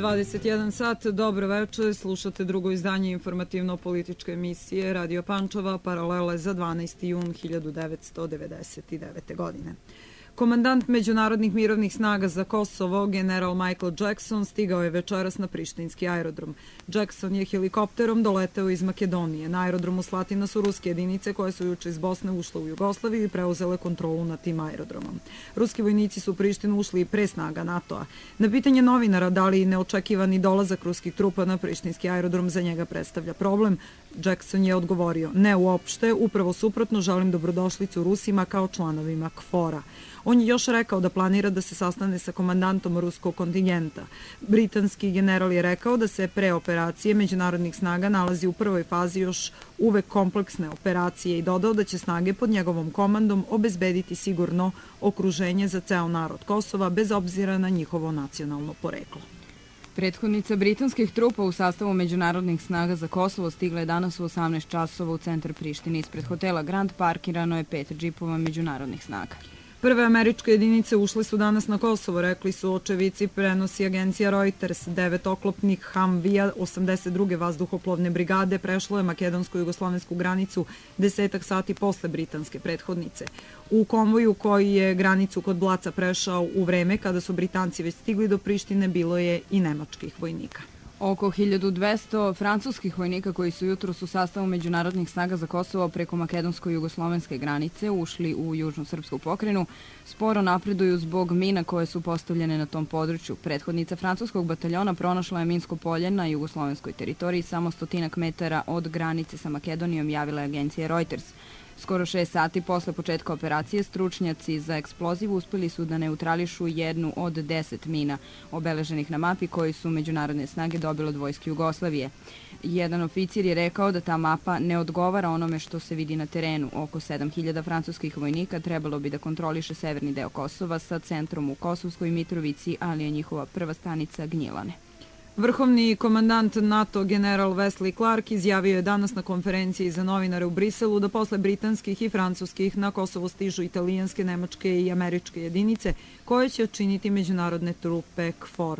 21 sat, dobro večer, slušate drugo izdanje informativno-političke emisije Radio Pančeva, paralele za 12. jun 1999. godine. Komandant Međunarodnih mirovnih snaga za Kosovo, general Michael Jackson, stigao je večeras na prištinski aerodrom. Jackson je helikopterom doleteo iz Makedonije. Na aerodromu Slatina su ruske jedinice koje su juče iz Bosne ušle u Jugoslaviju i preuzele kontrolu nad tim aerodromom. Ruski vojnici su u Prištinu ušli i pre snaga NATO-a. Na pitanje novinara da li neočekivani dolazak ruskih trupa na prištinski aerodrom za njega predstavlja problem, Jackson je odgovorio: ne uopšte, upravo suprotno, želim dobrodošlicu Rusima kao članovima KFOR-a. On je još rekao da planira da se sastane sa komandantom ruskog kontingenta. Britanski general je rekao da se pre operacije međunarodnih snaga nalazi u prvoj fazi još uvek kompleksne operacije i dodao da će snage pod njegovom komandom obezbediti sigurno okruženje za ceo narod Kosova bez obzira na njihovo nacionalno poreklo. Prethodnica britanskih trupa u sastavu međunarodnih snaga za Kosovo stigla je danas u 18 časova u centar Prištine. Ispred hotela Grand parkirano je 5 džipova međunarodnih snaga. Prve američke jedinice ušle su danas na Kosovo, rekli su očevici, prenosi agencija Reuters. 9-oklopnih Humvija 82. vazduhoplovne brigade prešlo je makedonsko-jugoslovensku granicu 10 sati posle britanske prethodnice. U konvoju koji je granicu kod Blaca prešao u vreme kada su Britanci već stigli do Prištine bilo je i nemačkih vojnika. Oko 1200 francuskih vojnika koji su jutros u sastavu međunarodnih snaga za Kosovo preko makedonsko-jugoslovenske granice ušli u južnu srpsku pokrajinu sporo napreduju zbog mina koje su postavljene na tom području. Prethodnica francuskog bataljona pronašla je minsko polje na jugoslovenskoj teritoriji samo 100 metara od granice sa Makedonijom, javila je agencija Reuters. Skoro 6 sati posle početka operacije stručnjaci za eksploziv uspeli su da neutrališu jednu od 10 mina obeleženih na mapi koji su međunarodne snage dobile od vojske Jugoslavije. Jedan oficir je rekao da ta mapa ne odgovara onome što se vidi na terenu. Oko 7000 francuskih vojnika trebalo bi da kontroliše severni deo Kosova sa centrom u Kosovskoj Mitrovici, ali je njihova prva stanica Gnjilane. Vrhovni komandant NATO general Wesley Clark izjavio je danas na konferenciji za novinare u Briselu da posle britanskih i francuskih na Kosovo stižu italijanske, nemačke i američke jedinice koje će činiti međunarodne trupe KFOR.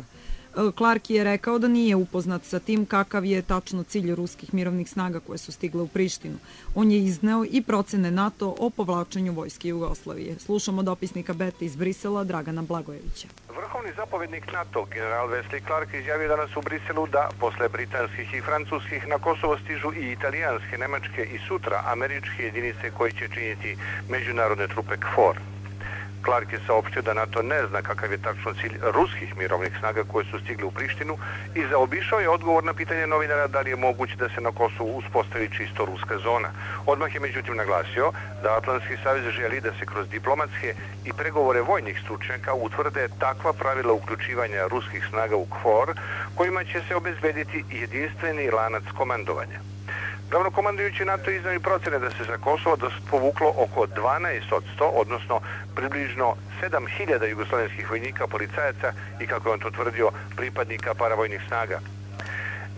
Clark je rekao da nije upoznat sa tim kakav je tačno cilj ruskih mirovnih snaga koje su stigle u Prištinu. On je izneo i procene NATO o povlačenju vojske Jugoslavije. Slušamo dopisnika BETA iz Brisela Dragana Blagojevića. Vrhovni zapovednik NATO, general Wesley Clark, izjavio danas u Briselu da posle britanskih i francuskih na Kosovo stižu i italijanske, nemačke i sutra američke jedinice koje će činiti međunarodne trupe KFOR. Clark je saopštio da NATO ne zna kakav je tačno cilj ruskih mirovnih snaga koje su stigli u Prištinu i zaobišao je odgovor na pitanje novinara da li je moguće da se na Kosovu uspostavi čisto ruska zona. Odmah je međutim naglasio da Atlantski savez želi da se kroz diplomatske i pregovore vojnih stručnjaka utvrde takva pravila uključivanja ruskih snaga u KFOR kojima će se obezbediti jedinstveni lanac komandovanja. Glavnokomandujući NATO iznao i procene da se za Kosovo povuklo oko 12%, odnosno približno 7000 jugoslovenskih vojnika, policajaca i, kako je on to tvrdio, pripadnika paravojnih snaga.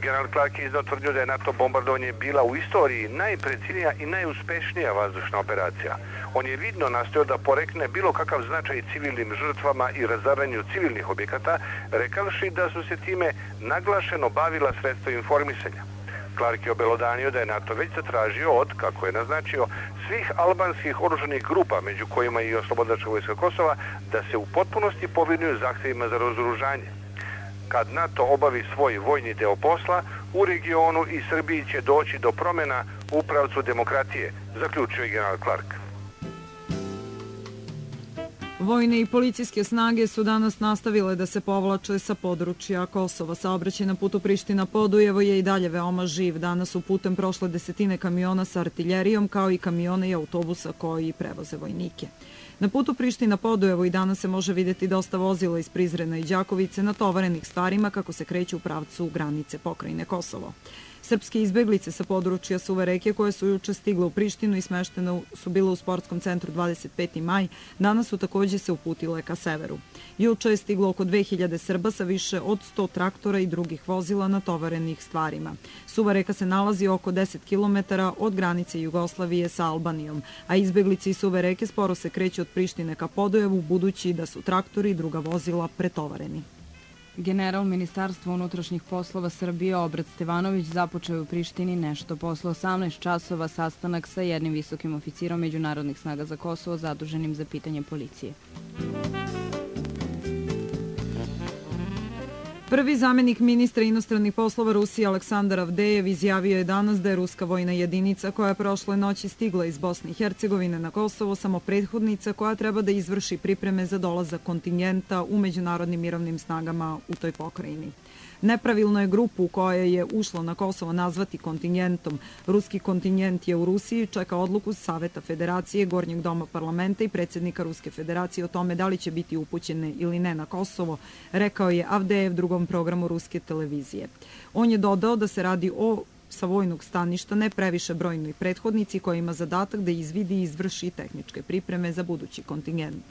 General Clark je iznao tvrdio da je NATO bombardovanje bila u istoriji najprecinija i najuspešnija vazdušna operacija. On je vidno nastojao da porekne bilo kakav značaj civilnim žrtvama i razaranju civilnih objekata, rekavši da su se time naglašeno bavila sredstva informisanja. Clark je obelodanio da je NATO već zatražio od, kako je naznačio, svih albanskih oružanih grupa, među kojima i Oslobodilačka vojska Kosova, da se u potpunosti povinuju zahtevima za razoružanje. Kad NATO obavi svoj vojni deo posla, u regionu i Srbiji će doći do promjena u pravcu demokratije, zaključio je general Clark. Vojne i policijske snage su danas nastavile da se povlače sa područja Kosova. Saobraćaj na putu Priština-Podujevo je i dalje veoma živ. Danas su putem prošle desetine kamiona sa artiljerijom, kao i kamiona i autobusa koji prevoze vojnike. Na putu Priština-Podujevo i danas se može vidjeti dosta vozila iz Prizrena i Đakovice natovarenih stvarima kako se kreću u pravcu granice pokrajine Kosovo. Srpske izbeglice sa područja Suve reke koje su juče stigle u Prištinu i smeštene su bile u sportskom centru 25. maj, danas su također se uputile ka severu. Juče je stiglo oko 2000 Srba sa više od 100 traktora i drugih vozila natovarenih stvarima. Suva reka se nalazi oko 10 km od granice Jugoslavije sa Albanijom, a izbeglice iz Suve reke sporo se kreću od Prištine ka Podujevu, budući da su traktori i druga vozila pretovareni. General Ministarstva unutrašnjih poslova Srbije Obrat Stevanović započeo u Prištini nešto posle 18 časova sastanak sa jednim visokim oficirom međunarodnih snaga za Kosovo zaduženim za pitanje policije. Prvi zamenik ministra inostranih poslova Rusije Aleksandar Avdejev izjavio je danas da je ruska vojna jedinica koja je prošle noći stigla iz Bosne i Hercegovine na Kosovo samo prethodnica koja treba da izvrši pripreme za dolazak kontingenta u međunarodnim mirovnim snagama u toj pokrajini. Nepravilno je grupu koja je ušla na Kosovo nazvati kontingentom. Ruski kontingent je u Rusiji, čeka odluku Saveta Federacije, Gornjeg doma parlamenta i predsjednika Ruske federacije o tome da li će biti upućene ili ne na Kosovo, rekao je Avdejev drugom programu ruske televizije. On je dodao da se radi sa vojnog staništa ne previše brojnoj prethodnici koja ima zadatak da izvidi i izvrši tehničke pripreme za budući kontingent.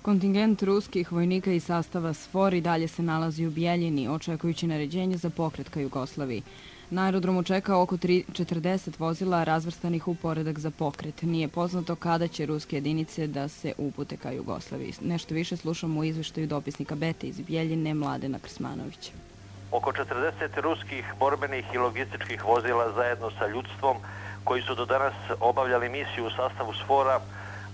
Kontingent ruskih vojnika iz sastava SFOR i dalje se nalazi u Bijeljini, očekujući naređenje za pokret ka Jugoslaviji. Na aerodromu čeka oko 40 vozila razvrstanih u poredak za pokret. Nije poznato kada će ruske jedinice da se upute ka Jugoslaviji. Nešto više slušamo u izveštaju dopisnika Bete iz Bijeljine Mladena Krsmanovića. Oko 40 ruskih borbenih i logističkih vozila zajedno sa ljudstvom koji su do danas obavljali misiju u sastavu SFOR-a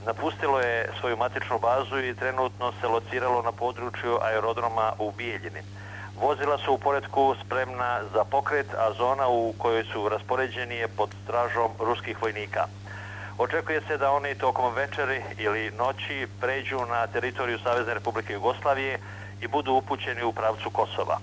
napustilo je svoju matičnu bazu i trenutno se lociralo na području aerodroma u Bijeljini. Vozila su u poretku spremna za pokret, a zona u kojoj su raspoređeni je pod stražom ruskih vojnika. Očekuje se da oni tokom večeri ili noći pređu na teritoriju Savezne Republike Jugoslavije i budu upućeni u pravcu Kosova.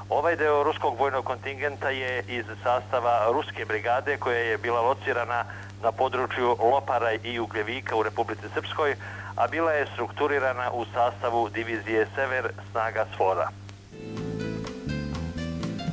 Ovaj deo ruskog vojnog kontingenta je iz sastava ruske brigade koja je bila locirana na području Lopara i Ugljevika u Republici Srpskoj, a bila je strukturirana u sastavu divizije Sever snaga SFOR-a.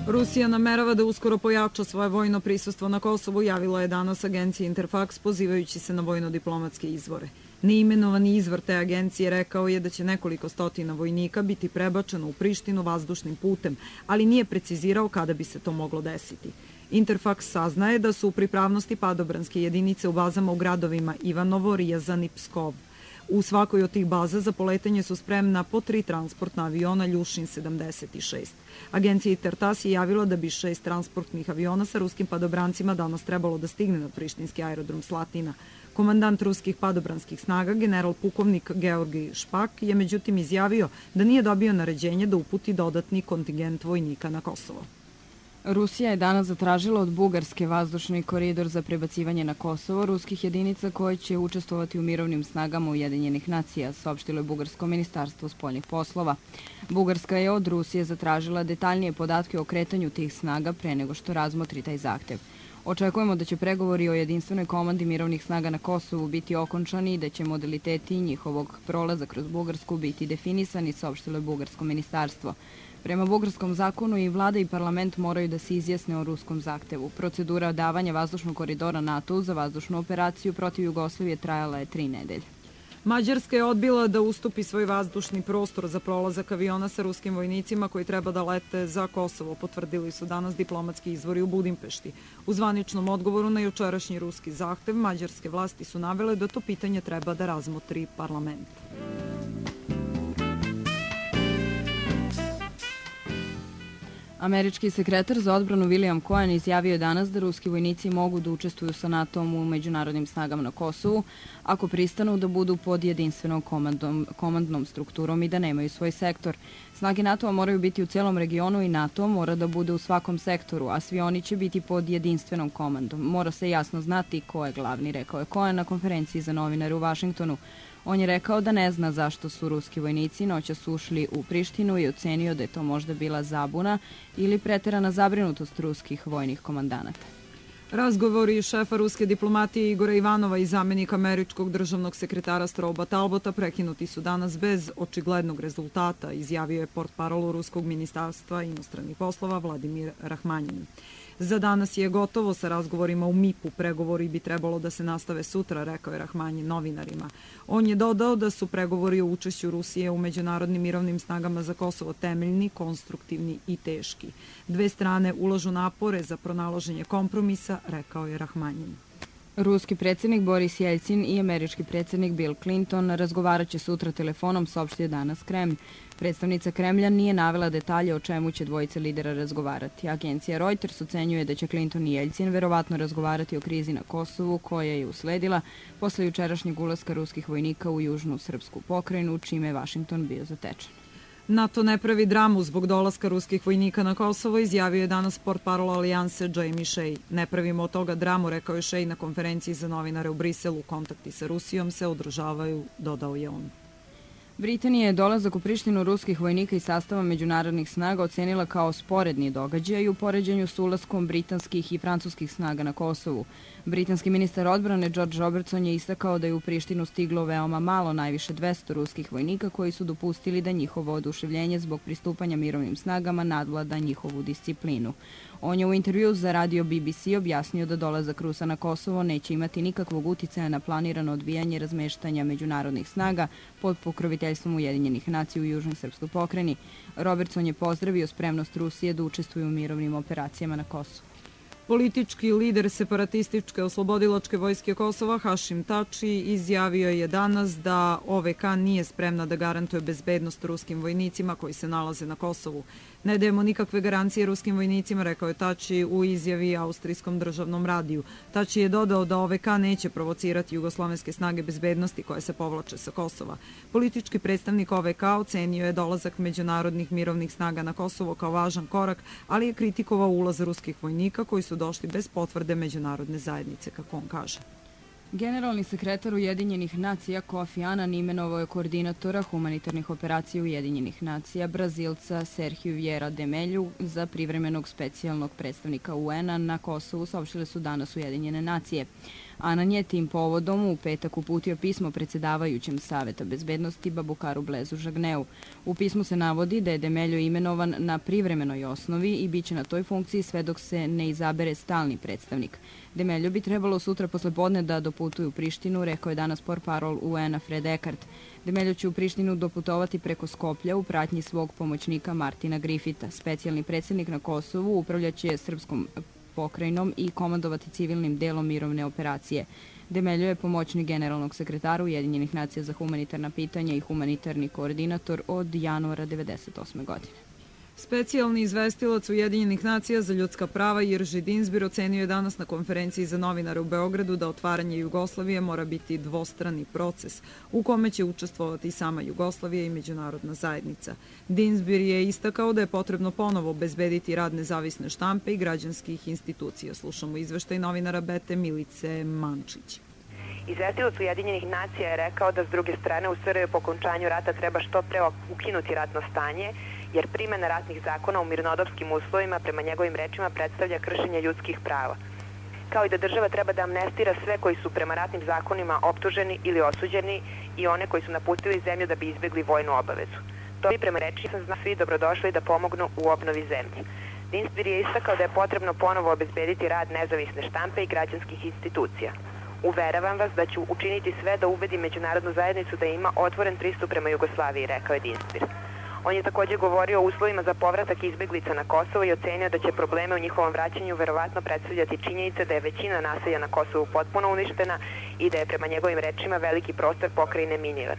Rusija namerava da uskoro pojača svoje vojno prisustvo na Kosovu, javila je danas agencija Interfax pozivajući se na vojno-diplomatske izvore. Neimenovani izvor te agencije rekao je da će nekoliko stotina vojnika biti prebačeno u Prištinu vazdušnim putem, ali nije precizirao kada bi se to moglo desiti. Interfax saznaje da su u pripravnosti padobranske jedinice u bazama u gradovima Ivanovo, Rijazan i Pskov. U svakoj od tih baza za poletanje su spremna po 3 transportna aviona Ljušin 76. Agencija Intertas je javila da bi 6 transportnih aviona sa ruskim padobrancima danas trebalo da stigne na prištinski aerodrom Slatina. Komandant ruskih padobranskih snaga, general pukovnik Georgij Špak, je međutim izjavio da nije dobio naređenje da uputi dodatni kontingent vojnika na Kosovo. Rusija je danas zatražila od Bugarske vazdušni koridor za prebacivanje na Kosovo ruskih jedinica koje će učestvovati u mirovnim snagama Ujedinjenih nacija, saopštilo je Bugarsko ministarstvo spoljnih poslova. Bugarska je od Rusije zatražila detaljnije podatke o kretanju tih snaga pre nego što razmotri taj zahtev. Očekujemo da će pregovori o jedinstvenoj komandi mirovnih snaga na Kosovu biti okončani i da će modaliteti njihovog prolaza kroz Bugarsku biti definisani, saopštilo je Bugarsko ministarstvo. Prema bugarskom zakonu i vlada i parlament moraju da se izjasne o ruskom zahtevu. Procedura davanja vazdušnog koridora NATO za vazdušnu operaciju protiv Jugoslavije trajala je 3 nedelje. Mađarska je odbila da ustupi svoj vazdušni prostor za prolazak aviona sa ruskim vojnicima koji treba da lete za Kosovo, potvrdili su danas diplomatski izvori u Budimpešti. U zvaničnom odgovoru na jučerašnji ruski zahtev, mađarske vlasti su navele da to pitanje treba da razmotri parlament. Američki sekretar za odbranu William Cohen izjavio je danas da ruski vojnici mogu da učestvuju sa NATO-om u međunarodnim snagama na Kosovu ako pristanu da budu pod jedinstvenom komandnom strukturom i da nemaju svoj sektor. Snage NATO-a moraju biti u celom regionu i NATO mora da bude u svakom sektoru, a svi oni će biti pod jedinstvenom komandom. Mora se jasno znati ko je glavni, rekao je Cohen na konferenciji za novinare u Vašingtonu. On je rekao da ne zna zašto su ruski vojnici noćas ušli u Prištinu i ocenio da je to možda bila zabuna ili preterana zabrinutost ruskih vojnih komandanata. Razgovori šefa ruske diplomatije Igora Ivanova i zamenika američkog državnog sekretara Stroba Talbota prekinuti su danas bez očiglednog rezultata, izjavio je portparol ruskog ministarstva inostranih poslova Vladimir Rahmanjin. Za danas je gotovo sa razgovorima u MIP-u, pregovori bi trebalo da se nastave sutra, rekao je Rahmanjin novinarima. On je dodao da su pregovori o učešću Rusije u međunarodnim mirovnim snagama za Kosovo temeljni, konstruktivni i teški. Dve strane ulažu napore za pronalaženje kompromisa, rekao je Rahmanjin. Ruski predsjednik Boris Jeljcin i američki predsjednik Bill Clinton razgovarat će sutra telefonom, saopštio danas Kremlj. Predstavnica Kremlja nije navela detalje o čemu će dvojice lidera razgovarati. Agencija Reuters ocenjuje da će Clinton i Jeljcin verovatno razgovarati o krizi na Kosovu koja je usledila posle jučerašnjeg ulaska ruskih vojnika u južnu srpsku pokrajinu, čime je Vašington bio zatečen. NATO ne pravi dramu zbog dolaska ruskih vojnika na Kosovo, izjavio je danas portparol Alijanse Jamie Shea. Ne pravimo od toga dramu, rekao je Shea na konferenciji za novinare u Briselu. Kontakti sa Rusijom se održavaju, dodao je on. Britanija je dolazak u Prištinu ruskih vojnika i sastava međunarodnih snaga ocenila kao sporedni događaj u poređenju s ulaskom britanskih i francuskih snaga na Kosovu. Britanski ministar odbrane George Robertson je istakao da je u Prištinu stiglo veoma malo, najviše 200 ruskih vojnika koji su dopustili da njihovo oduševljenje zbog pristupanja mirovnim snagama nadvlada njihovu disciplinu. On je u intervju za radio BBC objasnio da dolazak Rusa na Kosovo neće imati nikakvog uticaja na planirano odvijanje razmeštanja međunarodnih snaga pod pokroviteljstvom Ujedinjenih nacija u južnoj srpskoj pokrajini. Robertson je pozdravio spremnost Rusije da učestvuje u mirovnim operacijama na Kosovu. Politički lider separatističke oslobodilačke vojske Kosova Hašim Tači izjavio je danas da OVK nije spremna da garantuje bezbednost ruskim vojnicima koji se nalaze na Kosovu. Ne dajemo nikakve garancije ruskim vojnicima, rekao je Tači u izjavi Austrijskom državnom radiju. Tači je dodao da OVK neće provocirati jugoslovenske snage bezbednosti koje se povlače sa Kosova. Politički predstavnik OVK ocenio je dolazak međunarodnih mirovnih snaga na Kosovo kao važan korak, ali je kritikovao ulaz ruskih vojnika koji su došli bez potvrde međunarodne zajednice, kako on kaže. Generalni sekretar Ujedinjenih nacija Kofi Annan imenovao je koordinatora humanitarnih operacija Ujedinjenih nacija Brazilca Sergio Vieira de Melju za privremenog specijalnog predstavnika UN-a na Kosovu, saopštile su danas Ujedinjene nacije. Annan je tim povodom u petak uputio pismo predsjedavajućem Saveta bezbednosti Babukaru Blezu Žagneu. U pismu se navodi da je de Meljo imenovan na privremenoj osnovi i bit će na toj funkciji sve dok se ne izabere stalni predstavnik. De Meljo bi trebalo sutra poslepodne da doputuje u Prištinu, rekao je danas portparol UN-a Fred Eckart. De Meljo će u Prištinu doputovati preko Skoplja u pratnji svog pomoćnika Martina Griffitha. Specijalni predsjednik na Kosovu upravljaće srpskom pokrajinom i komandovati civilnim delom mirovne operacije. De Meljo je pomoćnik generalnog sekretara Ujedinjenih nacija za humanitarna pitanja i humanitarni koordinator od januara 1998. godine. Specijalni izvestilac Ujedinjenih nacija za ljudska prava Jirži Dinsbir ocenio je danas na konferenciji za novinare u Beogradu da otvaranje Jugoslavije mora biti dvostrani proces u kome će učestvovati sama Jugoslavija i međunarodna zajednica. Dinsbir je istakao da je potrebno ponovo obezbediti rad nezavisne štampe i građanskih institucija. Slušamo izveštaj novinara Bete Milice Mančić. Izvestilac Ujedinjenih nacija je rekao da s druge strane u Srbiji po okončanju rata treba što pre ukinuti ratno stanje, jer primjena ratnih zakona u mirnodopskim uslovima prema njegovim rečima predstavlja kršenje ljudskih prava. Kao i da država treba da amnestira sve koji su prema ratnim zakonima optuženi ili osuđeni i one koji su napustili zemlju da bi izbjegli vojnu obavezu. To bi prema rečima sam svi dobrodošli da pomognu u obnovi zemlje. Dinsbir je istakao da je potrebno ponovo obezbediti rad nezavisne štampe i građanskih institucija. Uveravam vas da ću učiniti sve da ubedi međunarodnu zajednicu da ima otvoren pristup prema Jugoslaviji, rekao je Dinsbir. On je također govorio o uslovima za povratak izbjeglica na Kosovo i ocenio da će probleme u njihovom vraćanju verovatno predstavljati činjenica da je većina naselja na Kosovu potpuno uništena i da je prema njegovim rečima veliki prostor pokrajine miniran.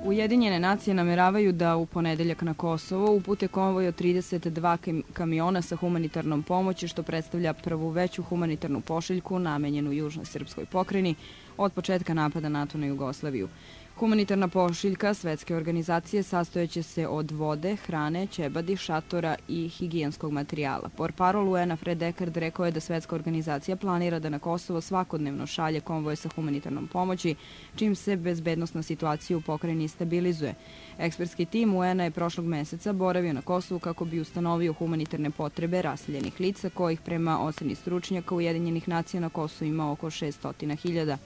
Ujedinjene nacije nameravaju da u ponedeljak na Kosovo upute konvoj od 32 kamiona sa humanitarnom pomoći, što predstavlja prvu veću humanitarnu pošiljku namenjenu južnoj srpskoj pokrajini od početka napada NATO na Jugoslaviju. Humanitarna pošiljka svetske organizacije sastojeće se od vode, hrane, ćebadi, šatora i higijenskog materijala. Portparol UN-a Fred Eckart rekao je da svetska organizacija planira da na Kosovo svakodnevno šalje konvoje sa humanitarnom pomoći, čim se bezbednosna situacija u pokrajini stabilizuje. Ekspertski tim UN-a je prošlog meseca boravio na Kosovu kako bi ustanovio humanitarne potrebe raseljenih lica, kojih prema oceni stručnjaka Ujedinjenih nacija na Kosovu ima oko 600.000.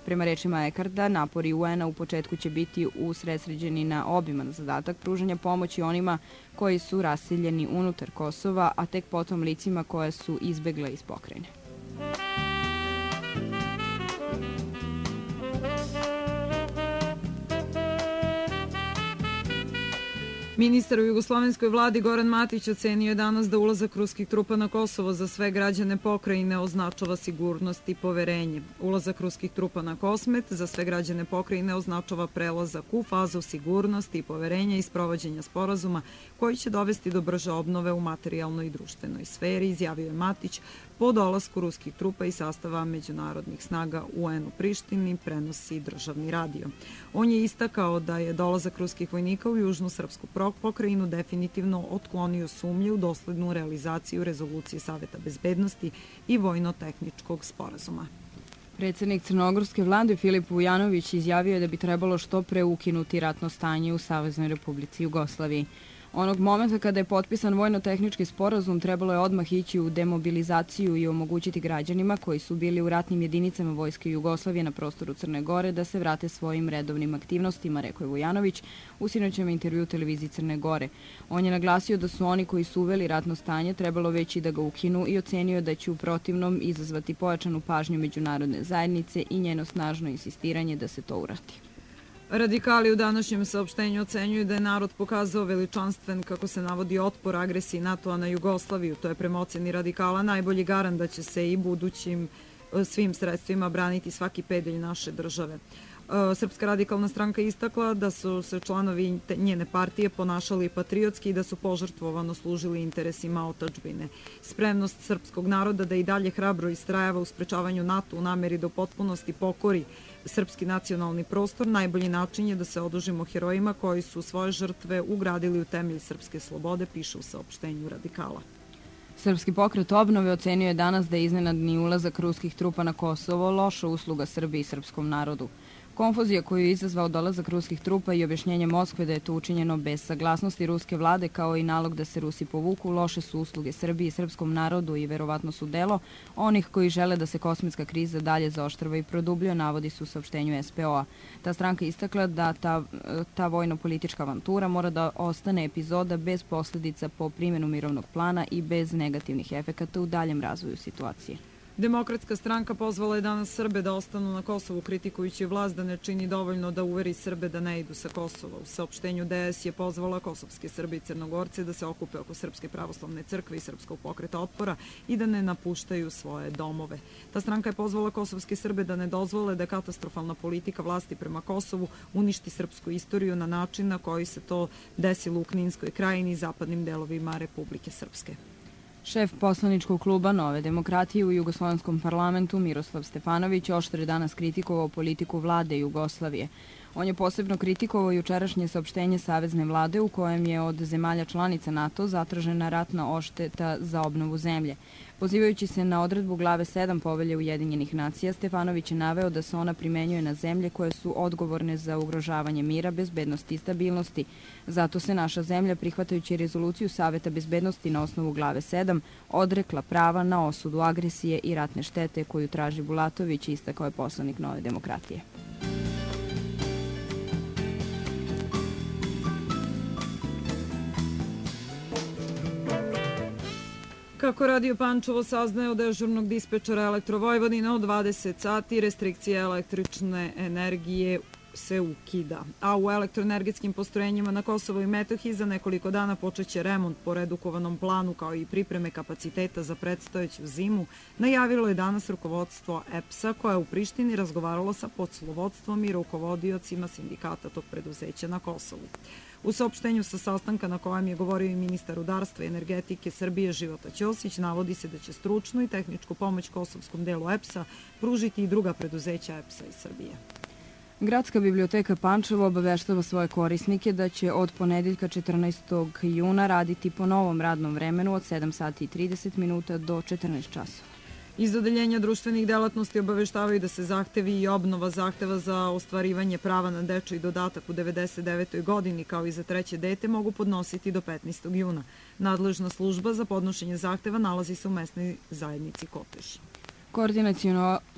Prema rečima Eckarta, napori UN-a u početku će biti usredsređeni na obiman zadatak pružanja pomoći onima koji su raseljeni unutar Kosova, a tek potom licima koja su izbegla iz pokrajine. Ministar u jugoslovenskoj vladi Goran Matić ocenio je danas da ulazak ruskih trupa na Kosovo za sve građane pokrajine označava sigurnost i poverenje. Ulazak ruskih trupa na Kosmet za sve građane pokrajine označava prelazak u fazu sigurnosti i poverenja i sprovođenja sporazuma koji će dovesti do brže obnove u materijalnoj i društvenoj sferi, izjavio je Matić po dolasku ruskih trupa i sastava međunarodnih snaga UN u Prištini, prenosi državni radio. On je istakao da je dolazak ruskih vojnika u južnu srpsku pokrajinu definitivno otklonio sumnje u doslednu realizaciju rezolucije Saveta bezbednosti i vojno-tehničkog sporazuma. Predsednik crnogorske vlade Filip Vujanović izjavio je da bi trebalo što pre ukinuti ratno stanje u Saveznoj Republici Jugoslaviji. Onog momenta kada je potpisan vojno-tehnički sporazum trebalo je odmah ići u demobilizaciju i omogućiti građanima koji su bili u ratnim jedinicama Vojske Jugoslavije na prostoru Crne Gore da se vrate svojim redovnim aktivnostima, rekao je Vujanović u sinoćem intervju televiziji Crne Gore. On je naglasio da su oni koji su uveli ratno stanje trebalo već i da ga ukinu i ocenio da će u protivnom izazvati pojačanu pažnju međunarodne zajednice i njeno snažno insistiranje da se to uradi. Radikali u današnjem saopštenju ocenjuju da je narod pokazao veličanstven, kako se navodi, otpor agresiji NATO-a na Jugoslaviju. To je prema oceni radikala najbolji garant da će se i budućim svim sredstvima braniti svaki pedalj naše države. Srpska radikalna stranka istakla da su se članovi njene partije ponašali patriotski i da su požrtvovano služili interesima otadžbine. Spremnost srpskog naroda da i dalje hrabro istrajava u sprečavanju NATO u nameri da u potpunosti pokori srpski nacionalni prostor najbolji način je da se odužimo herojima koji su svoje žrtve ugradili u temelj srpske slobode, piše u saopštenju radikala. Srpski pokret obnove ocenio je danas da je iznenadni ulazak ruskih trupa na Kosovo loša usluga Srbiji i srpskom narodu. Konfuzija koju je izazvao dolazak ruskih trupa i objašnjenje Moskve da je to učinjeno bez saglasnosti ruske vlade kao i nalog da se Rusi povuku loše su usluge Srbiji i srpskom narodu i verovatno su delo onih koji žele da se kosmetska kriza dalje zaoštrava i produbljuje, navodi su u saopštenju SPO-a. Ta stranka istakla da ta vojno-politička avantura mora da ostane epizoda bez posledica po primjenu mirovnog plana i bez negativnih efekata u daljem razvoju situacije. Demokratska stranka pozvala je danas Srbe da ostanu na Kosovu, kritikujući vlast da ne čini dovoljno da uveri Srbe da ne idu sa Kosova. U saopštenju DS je pozvala kosovske Srbe i Crnogorce da se okupe oko Srpske pravoslavne crkve i Srpskog pokreta otpora i da ne napuštaju svoje domove. Ta stranka je pozvala kosovske Srbe da ne dozvole da katastrofalna politika vlasti prema Kosovu uništi srpsku istoriju na način na koji se to desilo u Kninskoj krajini i zapadnim delovima Republike Srpske. Šef poslaničkog kluba Nove demokratije u Jugoslovenskom parlamentu Miroslav Stefanović oštro je danas kritikovao politiku vlade Jugoslavije. On je posebno kritikovao jučerašnje saopštenje Savezne vlade u kojem je od zemalja članica NATO zatražena ratna odšteta za obnovu zemlje. Pozivajući se na odredbu glave 7 Povelje Ujedinjenih nacija, Stefanović je naveo da se ona primenjuje na zemlje koje su odgovorne za ugrožavanje mira, bezbednosti i stabilnosti. Zato se naša zemlja, prihvatajući rezoluciju Saveta bezbednosti na osnovu glave 7, odrekla prava na osudu agresije i ratne štete koju traži Bulatović, istakao je poslanik Nove demokratije. Kako Radio Pančevo saznaje od dežurnog dispečera Elektrovojvodine, od 20 sati restrikcija električne energije se ukida. A u elektroenergetskim postrojenjima na Kosovo i Metohiji za nekoliko dana počeće remont po redukovanom planu kao i pripreme kapaciteta za predstojeću zimu, najavilo je danas rukovodstvo EPS-a koja je u Prištini razgovaralo sa poslovodstvom i rukovodiocima sindikata tog preduzeća na Kosovu. U saopštenju sa sastanka na kojem je govorio i ministar rudarstva i energetike Srbije Života Ćosić, navodi se da će stručnu i tehničku pomoć kosovskom delu EPS-a pružiti i druga preduzeća EPS-a iz Srbije. Gradska biblioteka Pančevo obaveštava svoje korisnike da će od ponedeljka 14. juna raditi po novom radnom vremenu od 7 sati i 30 minuta do 14 časova. Iz odeljenja društvenih delatnosti obaveštavaju da se zahtevi i obnova zahteva za ostvarivanje prava na dečiji dodatak u 99. godini kao i za treće dete mogu podnositi do 15. juna. Nadležna služba za podnošenje zahteva nalazi se u mesnoj zajednici Kotež.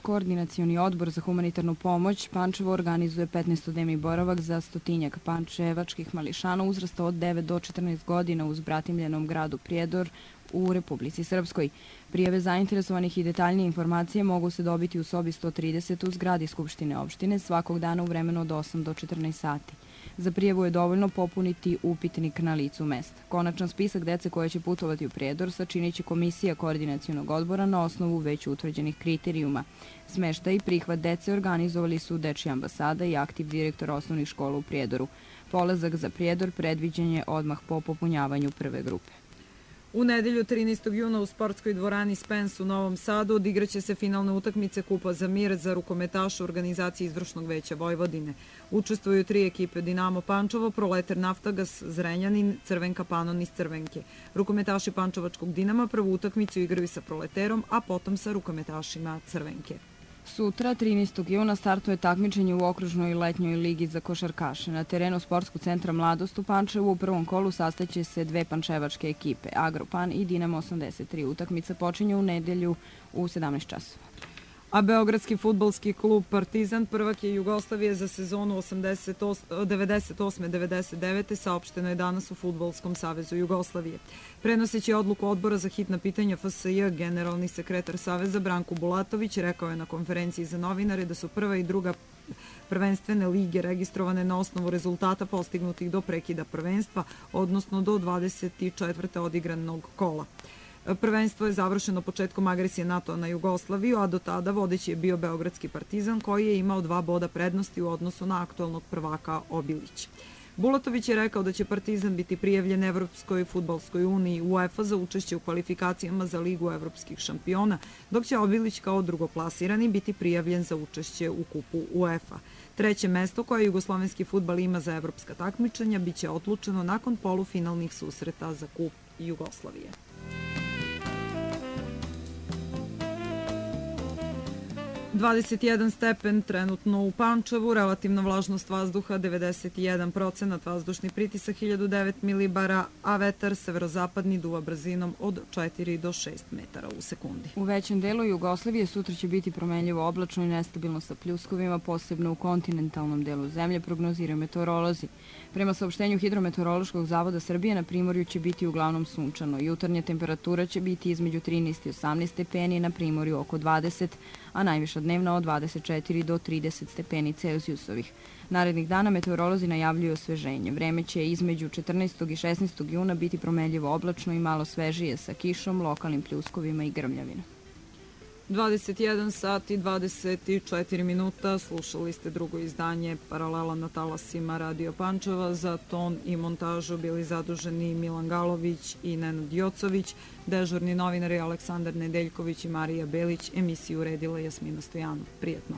Koordinacioni odbor za humanitarnu pomoć Pančevo organizuje 15-dnevni boravak za stotinjak pančevačkih mališana uzrasta od 9 do 14 godina u zbratimljenom gradu Prijedor u Republici Srpskoj. Prijave zainteresovanih i detaljnije informacije mogu se dobiti u sobi 130 u zgradi Skupštine opštine svakog dana u vremenu od 8 do 14 sati. Za prijavu je dovoljno popuniti upitnik na licu mesta. Konačan spisak dece koja će putovati u Prijedor sačinit će komisija koordinacionog odbora na osnovu već utvrđenih kriterijuma. Smeštaj i prihvat dece organizovali su Dečija ambasada i aktiv direktor osnovnih škola u Prijedoru. Polazak za Prijedor predviđen je odmah po popunjavanju prve grupe. U nedelju 13. juna u sportskoj dvorani Spens u Novom Sadu odigraće se finalne utakmice Kupa za mir za rukometaše u organizaciji Izvršnog veća Vojvodine. Učestvuju 3 ekipe: Dinamo Pančevo, Proletar Naftagas, Zrenjanin, Crvenka Panon iz Crvenke. Rukometaši Pančevačkog Dinama prvu utakmicu igraju sa Proleterom, a potom sa rukometašima Crvenke. Sutra, 13. juna, startuje takmičenje u okružnoj letnjoj ligi za košarkaše. Na terenu Sportskog centra Mladost u Pančevu u prvom kolu sastaće se 2 pančevačke ekipe, Agropan i Dinamo 83. Utakmica počinje u nedelju u 17 časova. A beogradski fudbalski klub Partizan, prvak je Jugoslavije za sezonu 98-99. saopšteno je danas u Fudbalskom savezu Jugoslavije. Prenoseći odluku odbora za hitna pitanja FSJ, generalni sekretar Saveza Branko Bulatović rekao je na konferenciji za novinare da su prva i druga prvenstvene lige registrovane na osnovu rezultata postignutih do prekida prvenstva, odnosno do 24. odigranog kola. Prvenstvo je završeno početkom agresije NATO na Jugoslaviju, a do tada vodeći je bio Beogradski Partizan koji je imao 2 boda prednosti u odnosu na aktualnog prvaka Obilić. Bulatović je rekao da će Partizan biti prijavljen Evropskoj fudbalskoj uniji UEFA za učešće u kvalifikacijama za Ligu evropskih šampiona, dok će Obilić kao drugoplasirani biti prijavljen za učešće u kupu UEFA. Treće mesto koje jugoslovenski fudbal ima za evropska takmičenja biće odlučeno nakon polufinalnih susreta za kup Jugoslavije. 21 stepen trenutno u Pančevu, relativna vlažnost vazduha 91%, vazdušni pritisak 1009 milibara, a vetar severozapadni duva brzinom od 4 do 6 metara u sekundi. U većem delu Jugoslavije sutra će biti promenljivo oblačno i nestabilno sa pljuskovima, posebno u kontinentalnom delu zemlje, prognoziraju meteorolozi. Prema saopštenju Hidrometeorološkog zavoda Srbije, na primorju će biti uglavnom sunčano. Jutarnja temperatura će biti između 13 i 18 stepeni, na primorju oko 20, a najviša dnevna od 24 do 30 stepeni Celzijusovih. Narednih dana meteorolozi najavljuju osveženje. Vreme će između 14. i 16. juna biti promenljivo oblačno i malo svežije sa kišom, lokalnim pljuskovima i grmljavina. 21 sat i 24 minuta, slušali ste drugo izdanje Paralela na talasima Radio Pančeva. Za ton i montažu bili zaduženi Milan Galović i Nenad Jocović, dežurni novinari Aleksandar Nedeljković i Marija Belić, emisiju uredila Jasmina Stojanov. Prijetno.